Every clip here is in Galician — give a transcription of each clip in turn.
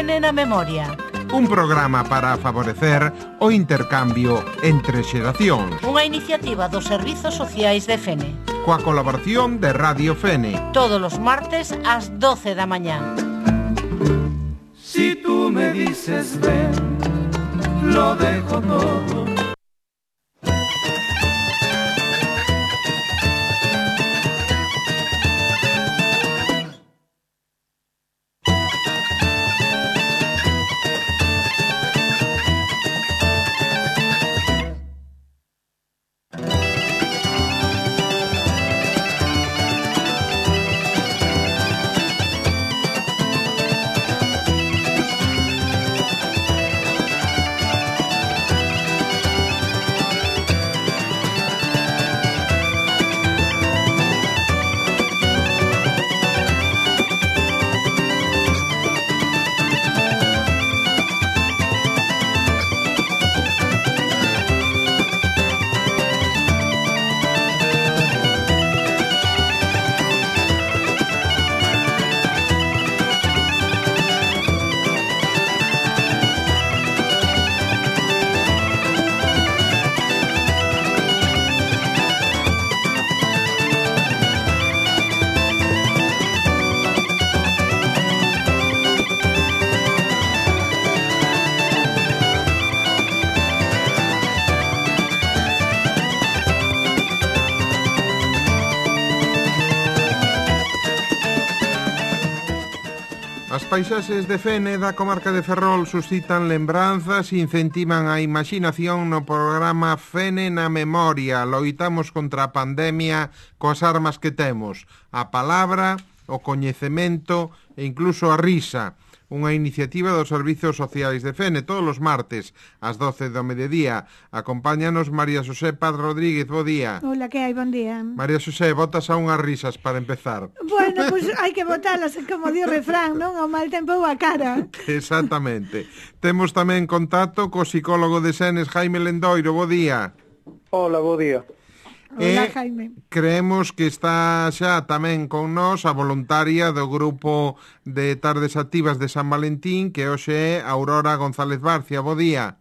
Fene na Memoria. Un programa para favorecer o intercambio entre xeracións. Unha iniciativa dos Servizos Sociais de Fene. Coa colaboración de Radio Fene. Todos os martes ás 12 da mañá. Si tú me dices ven, lo dejo todo. As paisaxes de Fene da comarca de Ferrol suscitan lembranzas e incentivan a imaginación no programa Fene na Memoria. Loitamos contra a pandemia coas armas que temos, a palabra, o coñecemento e incluso a risa. Unha iniciativa dos Servizos Sociais de Fene todos os martes ás 12 do mediodía. Acompáñanos María Xosé Paz Rodríguez, bo día. Hola, que hai? Bon día. María Xosé, botas a unhas risas para empezar. Bueno, pois hai que botalas, como di o refrán, non? O mal tempo ou a cara. Exactamente. Temos tamén contacto co psicólogo de Senes, Jaime Lendoiro, bo día. Hola, bo día. Hola, Jaime. Creemos que está xa tamén con nós a voluntaria do grupo de Tardes Activas de San Valentín, que hoxe é Aurora González Barcia. Bo día.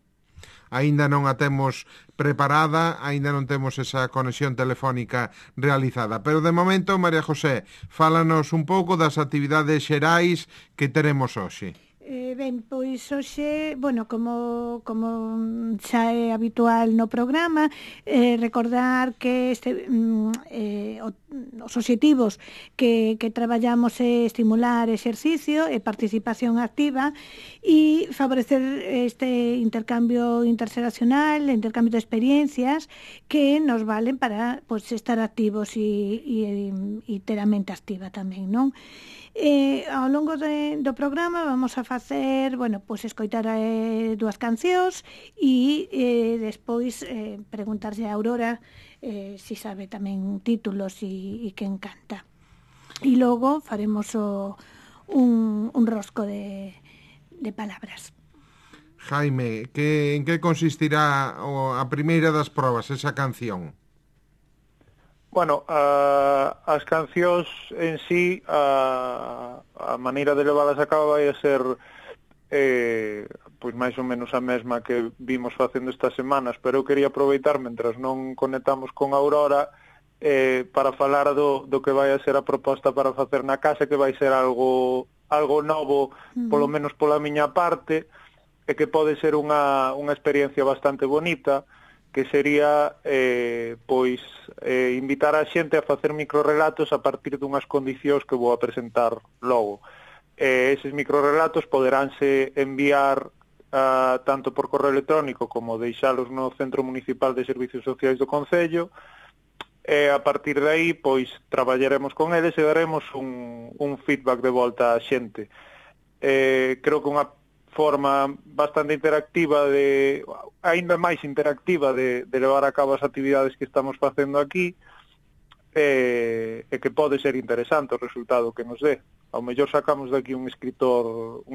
Aínda non a temos preparada, aínda non temos esa conexión telefónica realizada. Pero de momento, María José, fálanos un pouco das actividades xerais que teremos hoxe. Ben, pois hoxe, bueno, como xa é habitual no programa, recordar que os obxectivos que traballamos é estimular exercicio e participación activa e favorecer este intercambio interxeracional, intercambio de experiencias que nos valen para pois, estar activos e ter a mente activa tamén, non? Ao longo do programa vamos a facer, bueno, pois escoitar dúas cancións e despois preguntarlle a Aurora si sabe tamén títulos e quen canta. E logo faremos un rosco de palabras. Jaime, en que consistirá a primeira das probas, esa canción? Bueno, as cancións en sí, a maneira de leválas a cabo vai a ser pois máis ou menos a mesma que vimos facendo estas semanas, pero eu quería aproveitar, mentras non conectamos con Aurora, para falar do que vai a ser a proposta para facer na casa, que vai ser algo novo, polo menos pola miña parte, e que pode ser unha experiencia bastante bonita, que sería invitar a xente a facer microrelatos a partir dunhas condicións que vou a presentar logo. Eses microrelatos poderánse enviar tanto por correo electrónico como deixalos no Centro Municipal de Servizos Sociais do Concello, e a partir de aí pois traballaremos con eles e daremos un feedback de volta á xente. Creo que unha forma bastante interactiva, aínda máis interactiva de levar a cabo as actividades que estamos facendo aquí, e que pode ser interesante o resultado que nos dé. Ao mellor sacamos daqui un escritor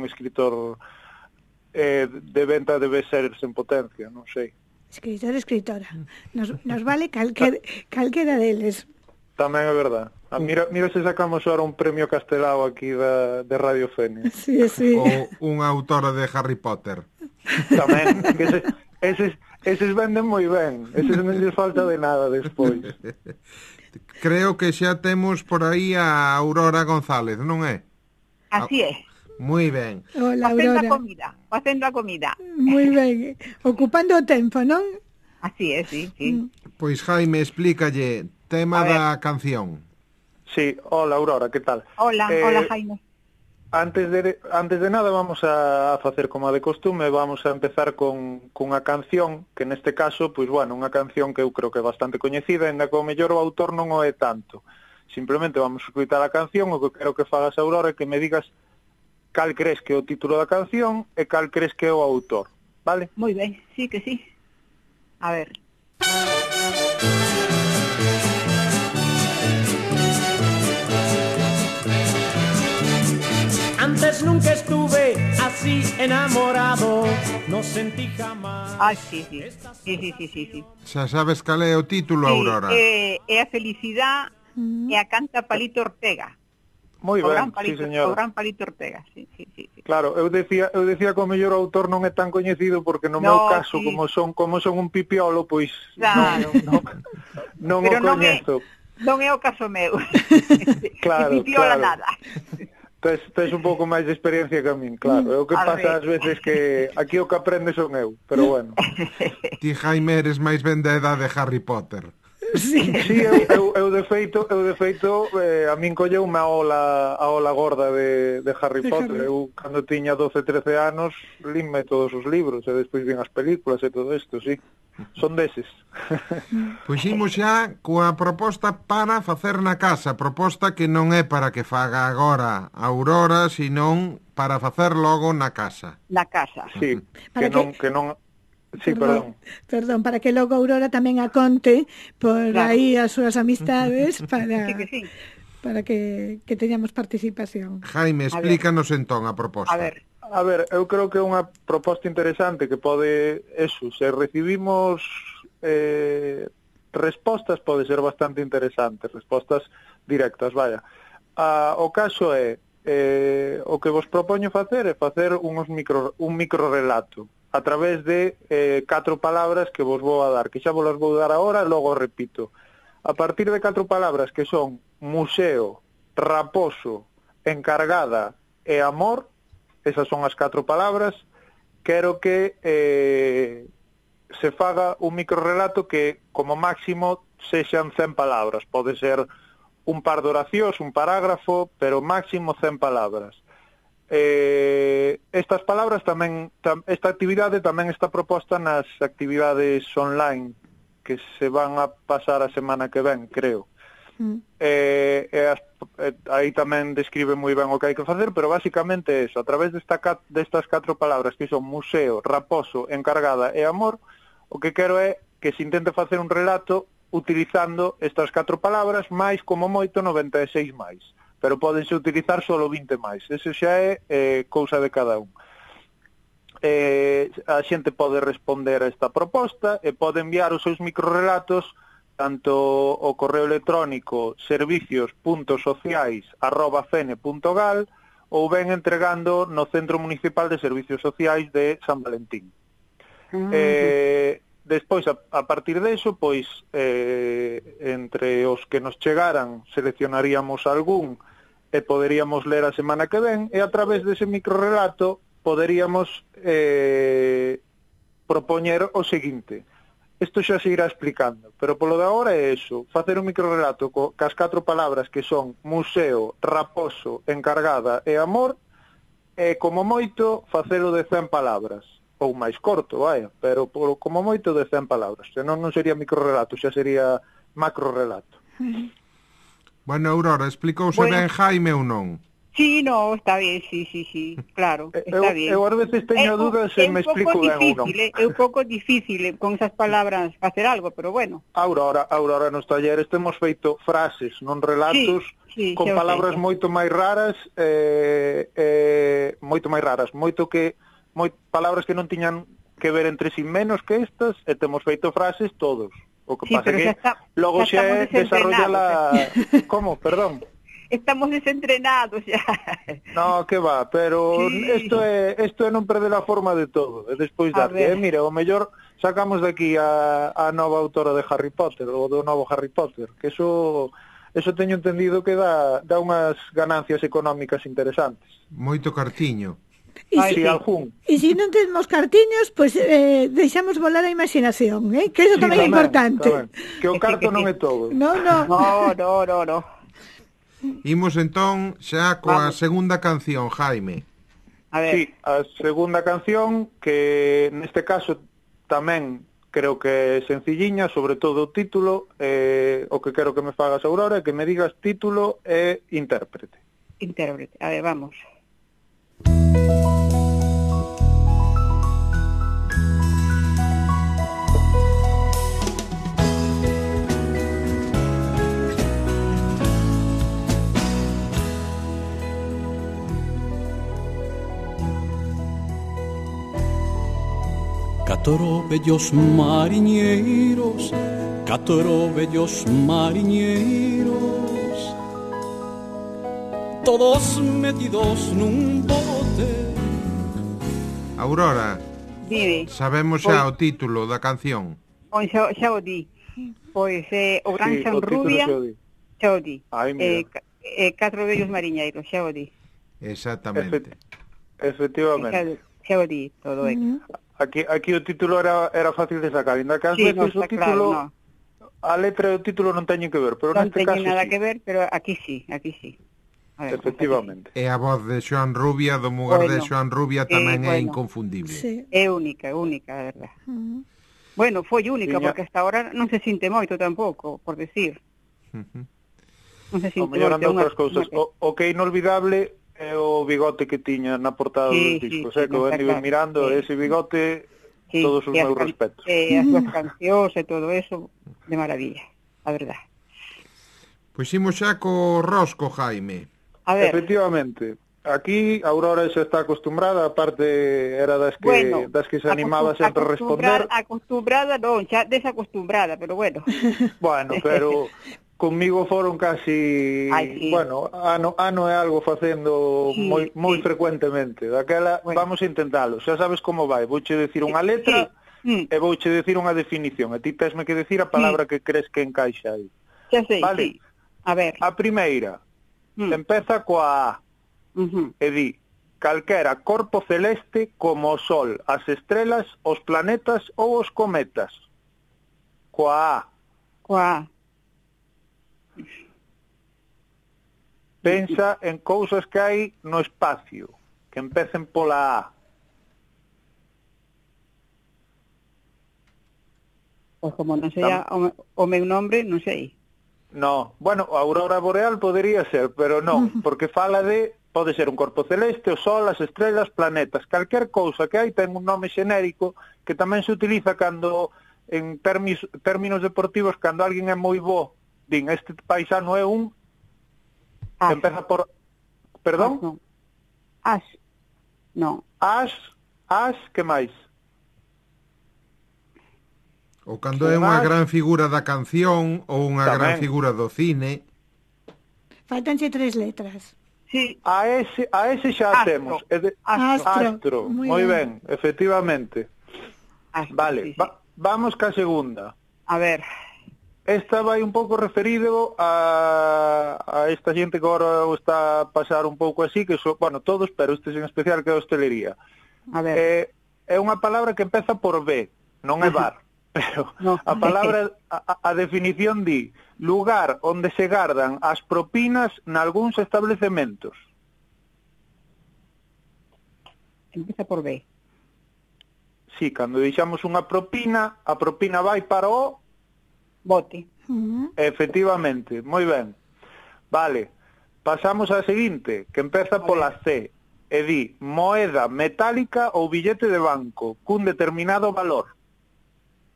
de venta de bestsellers en potencia, non sei. Escritora. Nos vale calquera deles. Tamén é verdad. Mira se sacamos ahora un premio Castelao aquí de Radio Fene. Sí, sí. Ou unha autora de Harry Potter. Tamén, que eses venden moi ben. Eses non lles falta de nada despois. Creo que xa temos por aí a Aurora González, non é? Así é. Moi ben. Hola, Aurora. Facendo a comida. Moi ben. Ocupando o tempo, non? Así é, sí, sí. Pois Jaime, explícalle tema da canción. Sí, hola Aurora, que tal? Hola, Jaime. Antes de nada vamos a facer como a de costume, vamos a empezar cunha canción, que neste caso, pois bueno, unha canción que eu creo que é bastante coñecida, ainda que o mellor o autor non o é tanto. Simplemente vamos a escutar a canción, o que quero que fagas, Aurora, é que me digas cal crees que é o título da canción e cal crees que é o autor, vale? Moi ben, sí que sí. A ver. Antes nunca estuve así enamorado, no sentí jamás. Ah, sí. Sí. Xa sabes cal é o título, Aurora? É a felicidade e a canta Palito Ortega. Moi ben, sí, señor. O gran Palito Ortega, sí. Claro, eu decía que o mellor autor non é tan coñecido porque no meu caso, sí. como son un pipiolo, pois claro. non o coñezo. Non é o caso meu. Claro, pipiola claro. nada. Tes un pouco máis de experiencia que a min, claro. É o que pasa ás veces que aquí o que aprende son eu, pero bueno. Ti, Jaime, eres máis ben da edad de Harry Potter. Sí, eu de feito a min colleume a ola gorda de Harry Potter. Eu cando tiña 12, 13 anos linme todos os libros e despois vin as películas e todo isto, sí. Son deses. Pois imos xa coa proposta para facer na casa, proposta que non é para que faga agora a Aurora, senón para facer logo na casa. Na casa. Sí, que non sí, perdón, para que logo Aurora tamén a conte por aí as súas amistades para que teñamos participación. Jaime, explícanos entón a proposta. A ver, eu creo que é unha proposta interesante que pode, se recibimos respostas, pode ser bastante interesante, respostas directas, vaya. O caso é, o que vos propoño facer é facer un microrelato a través de 4 palabras que vos vou a dar, que xa vos las vou dar agora e logo repito. A partir de 4 palabras que son museo, raposo, encargada e amor, esas son as 4 palabras, quero que se faga un microrelato que como máximo sexan 100 palabras, pode ser un par de oracións, un parágrafo, pero máximo 100 palabras. Estas palabras tamén, esta actividade tamén está proposta nas actividades online que se van a pasar a semana que ven, creo. Aí tamén describe moi ben o que hai que facer, pero basicamente é eso, a través destas 4 palabras que son museo, raposo, encargada e amor, o que quero é que se intente facer un relato utilizando estas 4 palabras máis como moito 96 máis, pero podense utilizar solo 20 máis. Ese xa é cousa de cada un. A xente pode responder a esta proposta e pode enviar os seus microrelatos tanto o correo electrónico servicios.sociais@fene.gal ou ben entregando no Centro Municipal de Servicios Sociais de San Valentín. Despois, a partir deso, pois, entre os que nos chegaran, seleccionaríamos algún e poderíamos ler a semana que ven, e a través dese microrelato poderíamos propoñer o seguinte. Isto xa se irá explicando, pero polo de agora é eso, facer un microrelato cas 4 palabras que son museo, raposo, encargada e amor, e como moito facelo de 100 palabras, ou máis corto, vaya, pero como moito de 100 palabras, senón non sería microrelato, xa sería macrorelato. Bueno, Aurora, explicouse ben Jaime ou non? Sí, no, está bien, sí, claro, está bien. Eu ás veces teño dúdas se me explico ben ou non. É un pouco difícil con esas palabras facer algo, pero bueno. Aurora, nos talleres temos feito frases, non relatos, con palabras moito máis raras, palabras que non tiñan que ver entre si menos que estas, e temos feito frases todos. O que Sí, pasa pero que xa está- logo xa estamos xe desarrolla Como? Perdón. Estamos desentrenados xa. No, que va, pero Sí. isto é non perder a forma de todo, e despois A darlle, ver. mire, o mellor sacamos de aquí a nova autora de Harry Potter, ou do novo Harry Potter, que eso teño entendido que dá unhas ganancias económicas interesantes. Moito cartiño. E Ai, Si sí. algún. E se non temos cartiños, pois deixamos volar a imaginación, que eso Sí, tamén é importante. tamén. Que o carto non é todo. No. No. Imos entón xa coa Vamos. segunda canción, Jaime. A ver. Sí, a segunda canción, que neste caso tamén creo que é sencilliña, sobre todo o título, o que quero que me fagas, Aurora, é que me digas título e intérprete. Intérprete. A ver, vamos. Catro bellos mariñeiros, catro bellos mariñeiros, todos metidos nun bote. Aurora, Dime. sabemos xa o título da canción. Pois xa o di. Pois o Gran Sí, San o título Rubia, xa o di. xa o di. Ai, mira. Catro vellos mariñeiros, xa o di. Exactamente. Efectivamente. Xa o di todo, Aquí o título era fácil de sacar, ainda que ás Sí, veces no, o está título, claro, a letra e o título non teñen que ver, pero Non neste teñen caso nada sí. que ver, pero aquí sí. A ver, Efectivamente. E a voz de Xoan Rubia, do mugar de Bueno, Xoan Rubia, tamén é bueno. inconfundible. Sí. É única, a verdad. Bueno, foi única, Tiña- porque hasta ahora non se sinte moito tampouco, por decir. Ujú. Non se O sinte mellor moito. anda outras cousas. O que é inolvidable é o bigote que tiña na portada Sí, dos discos, sí, que o está Andy claro. mirando, Sí. ese bigote, Sí, todos os e as meus can- respetos. As súas cancións e todo eso, de maravilla, a verdad. Pois imos xa co rosco, Jaime. A ver, Efectivamente. Aquí Aurora xa está acostumbrada, aparte era das que se animaba sempre a responder. Acostumbrada non, xa desacostumbrada, pero bueno. Bueno, pero conmigo foron casi, Ai, sí. bueno, ano e algo facendo Sí, moi sí. frecuentemente. Daquela, Bueno. vamos a intentalo. Xa sabes como vai. Vouche decir unha letra Sí. e vouche decir unha definición. E ti tesme que decir a palabra que crees que encaixa aí. Xa sei, Vale. sí. A ver. A primeira empeza coa A e di: calquera corpo celeste como o Sol, as estrelas, os planetas ou os cometas. Coa A. Coa Pensa en cousas que hai no espacio, que empecen pola A. Pois como non sei o meu nombre, non sei. No, bueno, a aurora boreal podería ser, pero non, porque fala de, pode ser un corpo celeste, o Sol, as estrelas, planetas, calquer cousa que hai ten un nome xenérico que tamén se utiliza cando, en términos deportivos, cando alguén é moi bo, din, este paisano é un, empeza por, perdón? As. Non. As, que máis? Ou cando é unha gran figura da canción ou unha gran Tamén. figura do cine. Faltanche 3 letras. Sí. A ese xa Astro. temos. É de... Astro. Astro. Moi Moi ben. ben, efectivamente. Astro, Vale, sí, sí. vamos ca segunda. A ver. Esta vai un pouco referido a esta xente que agora o está a pasar un pouco así, que son, bueno, todos, pero este en especial que é a hostelería. A ver. É unha palabra que empeza por B, non é bar. Pero No. a palabra, a definición di lugar onde se gardan as propinas nalgúns establecementos. Empieza por B. Sí, cando deixamos unha propina, a propina vai para o... Bote. Efectivamente, moi ben. Vale, pasamos á seguinte, que empeza pola C, e di moeda metálica ou billete de banco, cun determinado valor.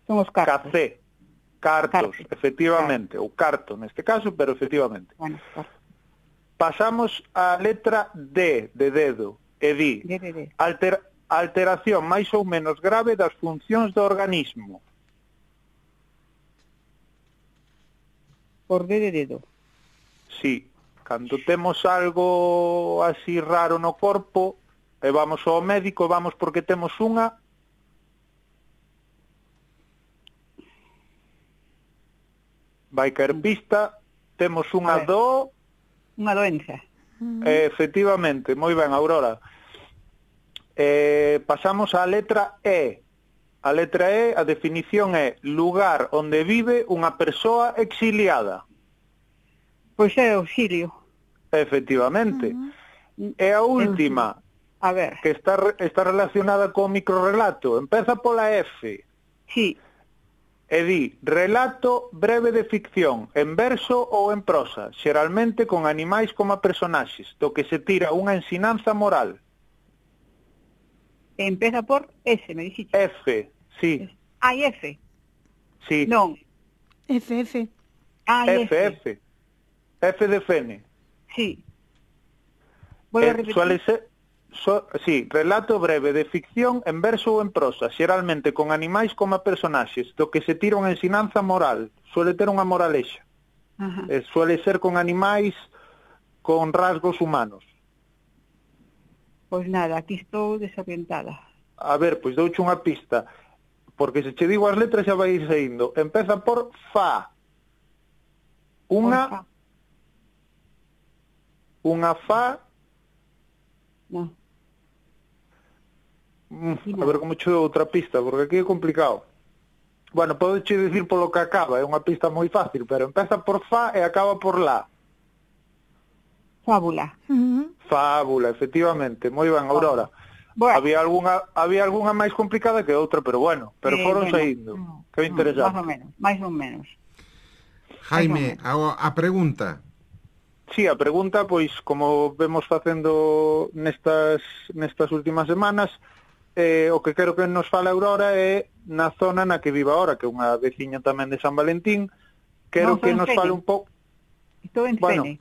Son os cartos. Café, cartos, Cartos. efectivamente, ou carto neste caso, pero efectivamente. Bueno, cartos. Pasamos á letra D de dedo, e di D. alteración máis ou menos grave das funcións do organismo. por D de dedo. Sí, cando temos algo así raro no corpo, e vamos ao médico, vamos porque temos unha... Vai caer pista, temos unha Unha doenza. Efectivamente, moi ben, Aurora. Pasamos á letra E. A letra E, a definición é lugar onde vive unha persoa exiliada. Pois é auxilio. Efectivamente. E a última, A ver, que está relacionada co microrrelato, empeza pola F. sí, E di, relato breve de ficción, en verso ou en prosa, xeralmente con animais como personaxes, do que se tira unha ensinanza moral. empeza por S, me dixiste. F, sí, Ai, F. sí. Non, FF. ai, F, F. F de Fene. Sí. Volvo a repetir. Suele ser, sí, relato breve de ficción en verso ou en prosa, xeralmente con animais como personaxes, do que se tira unha ensinanza moral, suele ter unha moralexa. Ajá. Suele ser con animais con rasgos humanos. Pois nada, aquí estou desorientada. A ver, pois douche unha pista, porque se che digo as letras xa vai ir saindo. Empeza por fa. Porfa. Unha fa. No. A ver como che dou outra pista, porque aquí é complicado. Bueno, podo che dicir polo que acaba, é unha pista moi fácil, pero empeza por fa e acaba por la. Fábula. Fábula, efectivamente. Moi ben, Aurora. Bueno. Había algunha máis complicada que outra, pero bueno, foron bueno, saindo. Que interesante. Máis ou menos. Jaime, a pregunta. Sí, a pregunta, pois, como vemos facendo nestas últimas semanas, o que quero que nos fale Aurora é na zona na que vive agora, que é unha veciña tamén de San Valentín. Quero que nos fale un pouco... Estou en Bueno, Fene.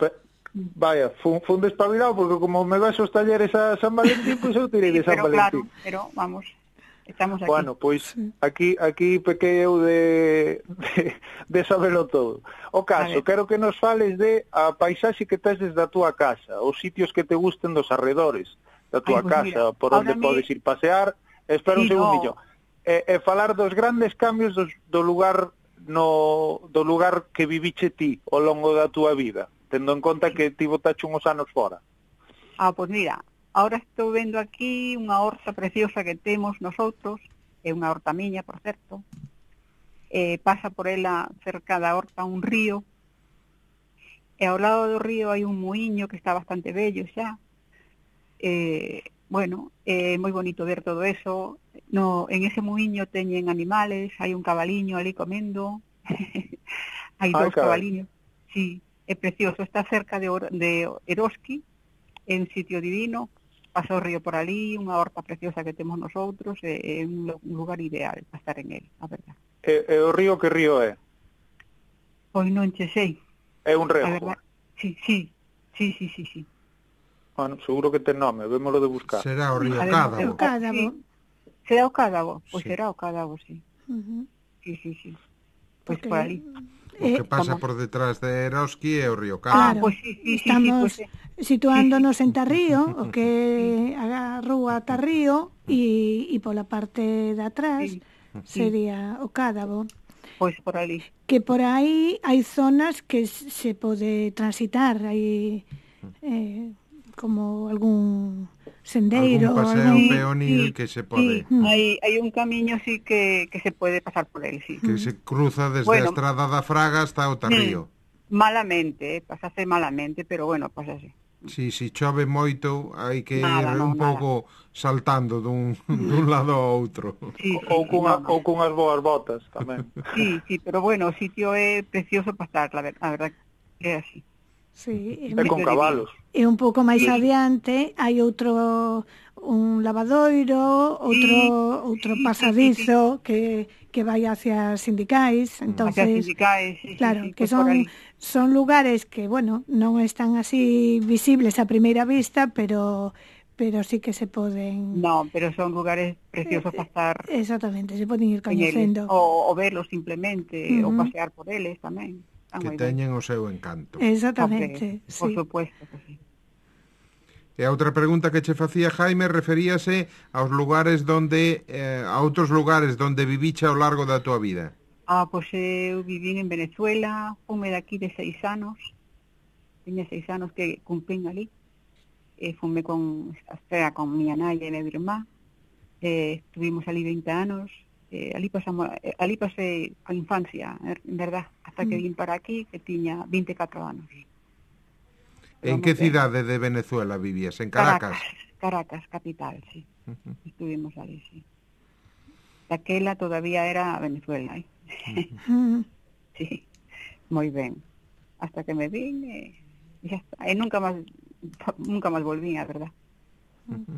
vaya, fun despabilado, porque como me vas aos talleres a San Valentín, pois eu tirei de San Valentín. Claro, pero vamos, estamos aquí. Bueno, pois aquí pequei eu de sabelo todo. O caso, quero que nos fales de a paisaxe que tes desde a túa casa, os sitios que te gusten dos arredores da túa casa, por onde podes ir pasear. Espera un segundillo. E falar dos grandes cambios do lugar que viviche ti ao longo da túa vida, tendo en conta que ti botache uns anos fora. Pois mira, ahora estou vendo aquí unha horta preciosa que temos nosotros, é unha horta miña, por certo. Pasa por ela cerca da horta un río, e ao lado do río hai un muiño que está bastante bello xa. Bueno, é moi bonito ver todo eso. En ese muiño teñen animales, hai un cabaliño ali comendo, hai dous cabaliños, sí, é precioso, está cerca de Eroski, é un sitio divino, pasa o río por ali, unha horta preciosa que temos nosotros, é un lugar ideal para estar en él, a verdad. E o río que río é? Pois non che sei. É un rego? A verdad, sí. Bueno, seguro que ten nome, vémolo de buscar. Será o río Cádabo. Cádabo. Será o Cádabo? Pois Sí. será o Cádabo, sí. Sí. Pois Porque- por ali. O que pasa por detrás de Eroski é o río Claro, Cádabo. Pois sí, estamos pois situándonos en Tarrío, o que a rúa Tarrío, e pola parte de atrás sería o Cádabo. Pois por ali. Que por aí hai zonas que se pode transitar, hai como algún sendeiro, Algún paseo peonil que se pode... Hai un camiño así que se pode pasar por él, sí. Que se cruza desde Bueno. a Estrada da Fraga hasta o Tarrío. Malamente, pasase malamente, pero bueno, pasase. Si chove moito, hai que Nada, ir un pouco saltando dun lado ao outro. Sí, Ou cunhas boas botas tamén. Sí, pero bueno, o sitio é precioso para estar, la verdad que é así. Sí, É con cabalos. e un pouco máis adiante hai un lavadoiro, outro pasadizo que vai hacia as sindicais, entonces claro, que son lugares que, bueno, non están así visibles a primeira vista, pero sí que se poden... No, pero son lugares preciosos para estar... Exactamente, se poden ir en eles, coñecendo. o verlos simplemente, ou pasear por eles tamén. Que teñen o seu encanto. Exactamente, Hombre, por sí. supuesto que sí. E a outra pregunta que che facía Jaime referíase aos lugares donde a outros lugares donde viviche ao largo da tua vida. Pois eu vivín en Venezuela, fume daqui de 6 anos, tiña 6 anos que cumprín ali, fume con miña nai e meu irmá, estuvimos ali 20 anos, ali pasei a infancia, en verdad, hasta que vin para aquí, que tiña 24 anos. En que cidade de Venezuela vivías? En Caracas? Caracas, capital, sí. Estuvimos ali, sí. Daquela todavía era Venezuela, Sí, moi ben. Hasta que me vin e xa está. E nunca máis volvín, a verdad.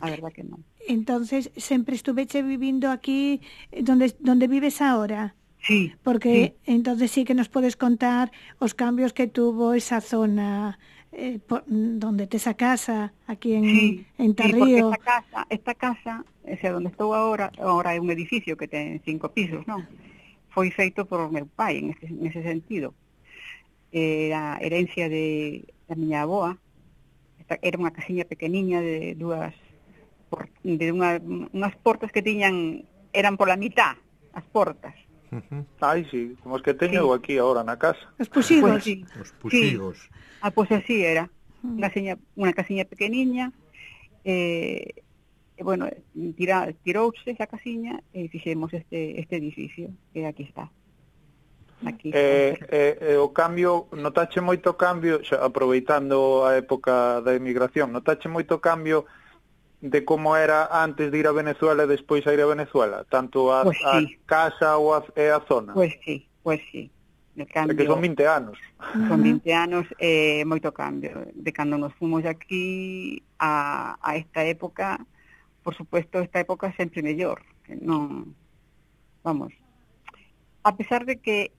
A verdad que non. Entonces, sempre estuveche vivindo aquí donde vives ahora? Sí. Porque entonces sí que nos podes contar os cambios que tuvo esa zona, donde tes a casa, aquí en Tarrío. Sí, porque esta casa, o sea, donde estou agora é un edificio que ten 5 pisos, non? Foi feito por meu pai, nese sentido. Era herencia da miña avoa. Era unha casiña pequeniña de unhas portas que tiñan, eran pola mitad, as portas. Ai, sí, como os que teño eu aquí agora na casa. Os puxigos. Pues sí. Os puxigos. Sí. Pois así era. Unha casiña pequeniña, bueno, tirouse esa casiña e fixemos este edificio que aquí está. Aquí o cambio, notache moito cambio, xa, aproveitando a época da emigración, notache moito cambio de como era antes de ir a Venezuela e despois a ir a Venezuela, tanto a casa e a zona? Pois sí. El cambio, que son 20 anos. Son 20 anos, moito cambio. De cando nos fomos aquí a esta época, por supuesto, esta época sempre mellor. Non, vamos, a pesar de que,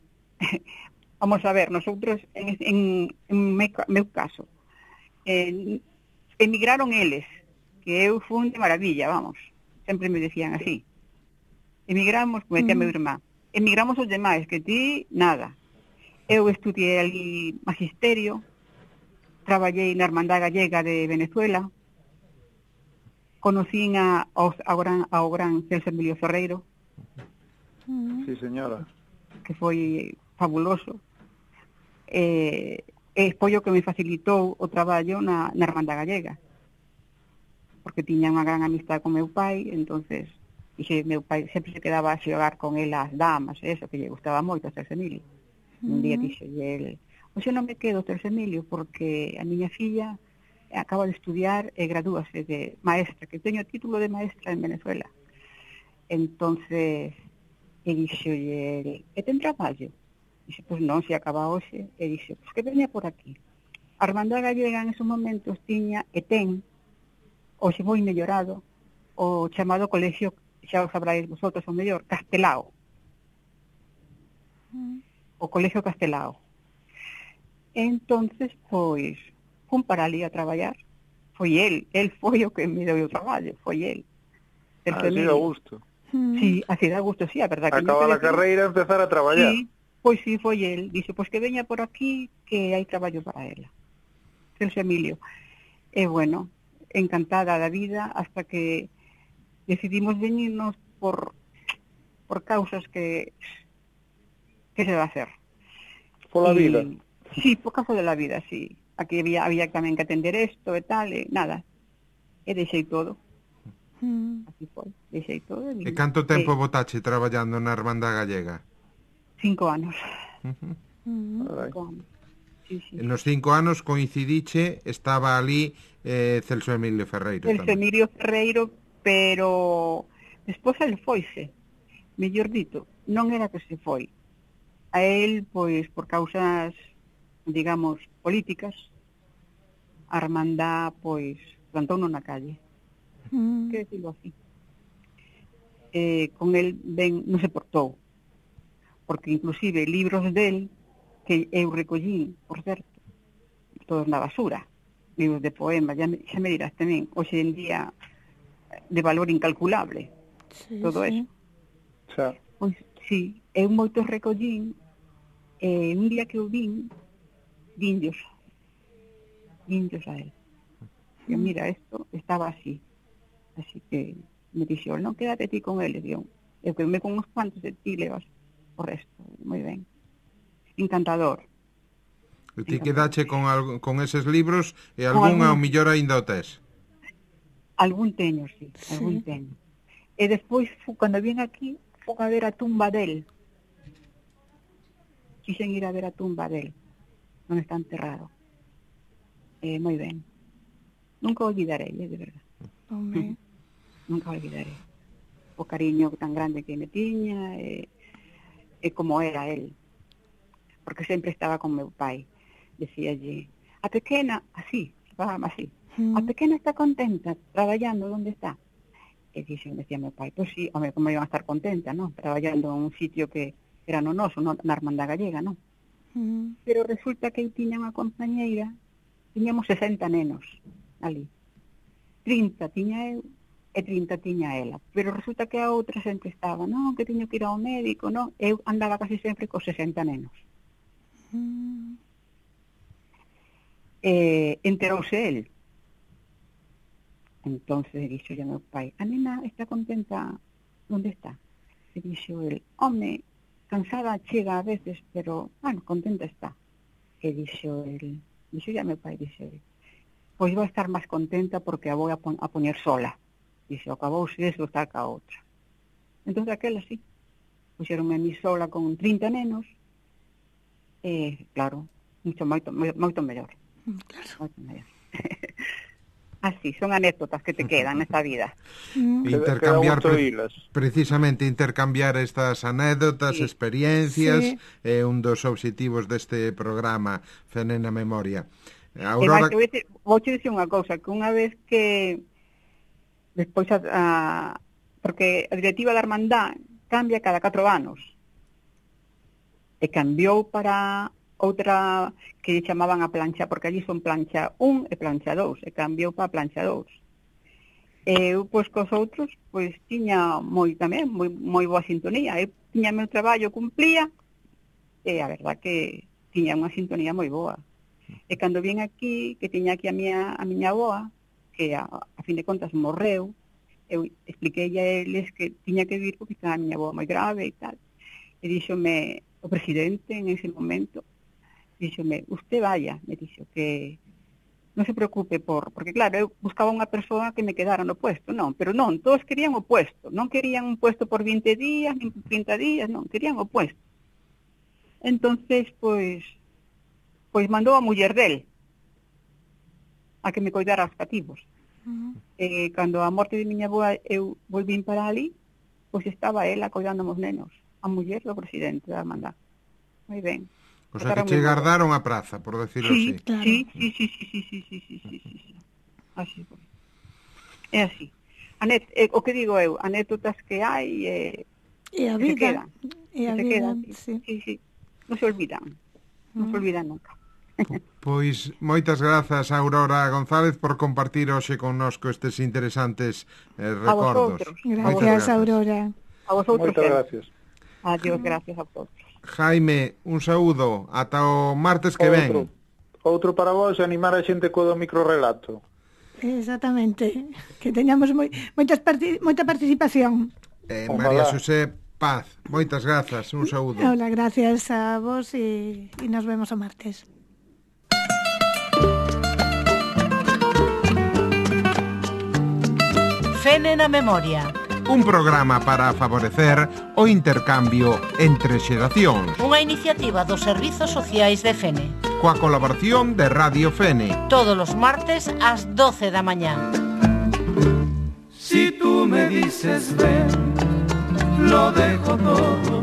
vamos a ver, nosotros, en meu caso, emigraron eles, que eu fui de maravilla, vamos, sempre me decían así. Emigramos, como decía meu irmán, emigramos os demais, que ti, nada. Eu estudiei ali magisterio, traballei na Hermandad Gallega de Venezuela, conocín ao gran Celso Emilio Ferreiro. Sí, señora. Que foi fabuloso. Foi o que me facilitou o traballo na Hermandad Gallega, porque tiña unha gran amistad con meu pai, entonces meu pai sempre se quedaba a xogar con el as damas, eso, que lle gustaba moito a Celso Emilio. Un día dixolle el, pois eu non me quedo, Celso Emilio, porque a miña filla acaba de estudiar e gradúase de maestra, que teño título de maestra en Venezuela. Entonces, e dixolle el, e ten traballo? Dixe, pois non, se acaba hoxe. E dixe, pois que veña por aquí. A Hermandad Gallega en esos momentos tiña e ten, hoxe moi mellorado, o chamado colegio, xa o sabráis vosotros, o mellor, Castelao. O Colegio Castelao. Entonces, pois, fun para ali a traballar. Foi el foi o que me deu o traballo, foi el. Así da gusto. Sí, así da gusto, sí, a verdad. Acaba a carreira e empezar a traballar. Sí, pois sí, foi el. Dixe, pois que veña por aquí, que hai traballo para ela. Celso Emilio. E bueno, encantada da vida, hasta que decidimos venirnos por causas que se va a hacer. Pola vida. Sí, por causa de la vida, sí. Aquí había tamén que atender esto e tal, e nada. E deixei todo. Así foi, deixei todo. E canto tempo botache traballando na Hermandad Gallega? 5 anos. Sí. Nos 5 anos coincidiche, estaba ali Celso Emilio Ferreiro. Celso Emilio Ferreiro, pero despois el foise. Mellor dito, non era que se foi. A él, pois, por causas, digamos, políticas, a Hermandad, pois, plantouno na calle. Que decirlo así. Con él ben non se portou, porque inclusive libros del, que eu recollín, por certo, todos na basura, libros de poemas, xa me dirás tamén, hoxe en día de valor incalculable, todo eso. Xa. Pois, sí, eu moitos recollín Un día que eu vindios a él. E mira, esto estaba así que me dixo, non, quédate ti con ele, digo, eu quedme con uns cuantos de ti levas o resto, moi ben. Encantador. E ti quedache con eses libros e algún ao millor aínda o tes? Algún teño, sí, algún teño. E despois, cando vin aquí, fui a ver a tumba del. Quixen ir a ver a tumba del, onde está enterrado. Moi ben. Nunca olvidarei, de verdad. Home. Nunca olvidarei. O cariño tan grande que me tiña e como era él. Porque sempre estaba con meu pai. Decíalle, a pequena, así, así. A pequena está contenta traballando onde está. E decía meu pai, pois sí, home, como iban a estar contenta, non? Traballando en un sitio que era no noso, na Hermandad Gallega, non? Pero resulta que eu tiña unha compañeira, tiñamos 60 nenos ali. 30 tiña eu e 30 tiña ela. Pero resulta que a outra sempre estaba, non, que tiño que ir ao médico, non? Eu andaba casi sempre cos 60 nenos. Enterouse el. Entonces dixo a meu pai, a nena está contenta onde está? E dixo el, home, cansada chega a veces, pero, bueno, contenta está. E dixo a meu pai, pois vai estar máis contenta porque a vou a poñer sola. Dixo, acabouse eso, estar ca outra. Entón, aquela sí, puxeronme a mí sola con 30 nenos, e, claro, moito mellor. Claro. Moito mellor. Así, son anécdotas que te quedan nesta vida. Intercambiar, precisamente intercambiar estas anécdotas, experiencias, é un dos obxectivos deste programa Fene na Memoria. Aurora... Vou te dicir unha cousa, que unha vez que despois porque a directiva da Hermandad cambia cada 4 anos e cambiou para outra que chamaban a plancha, porque allí son plancha 1 e plancha 2, e cambiou para plancha 2. E eu, pois, cos outros, pois, tiña moi boa sintonía. Eu tiña meu traballo, cumplía, e a verdad que tiña unha sintonía moi boa. E cando vin aquí, que tiña aquí a miña avoa, que a fin de contas morreu, eu expliquei a eles que tiña que vir porque estaba a miña avoa moi grave e tal. E díxome o presidente en ese momento, díxome, usted vaya, me dixo, que non se preocupe porque claro, eu buscaba unha persoa que me quedara no puesto, non, pero non, todos querían o puesto, non querían un puesto por 20 días, nin por 30 días, non, querían o puesto. Entonces, pois mandou a muller del a que me coidara os cativos. Cando a morte de miña avoa eu volvín para ali, pois estaba ela coidando os nenos, a muller do presidente da Hermandad. Moi ben. O sea, que che guardaron a praza, por decirlo así. Claro. Sí. Así, pues. É así. O que digo eu, anécdotas que hai e a vida. Se quedan. Sí. Non se olvidan. Non se olvidan nunca. Pois moitas grazas, Aurora González, por compartir hoxe connosco estes interesantes recordos. Gracias, Aurora. A vosotros. Moitas gracias. Adiós, gracias a todos. Jaime, un saúdo, ata o martes que ven. Outro para vos, animar a xente co do microrelato. Exactamente, que teñamos moita participación. María Xosé Paz, moitas grazas, un saúdo. Hola, gracias a vos e nos vemos o martes. Fene na Memoria. Un programa para favorecer o intercambio entre xeracións. Unha iniciativa dos Servizos Sociais de Fene. Coa colaboración de Radio Fene. Todos os martes ás 12 da mañá. Si tú me dices ven, lo dejo todo.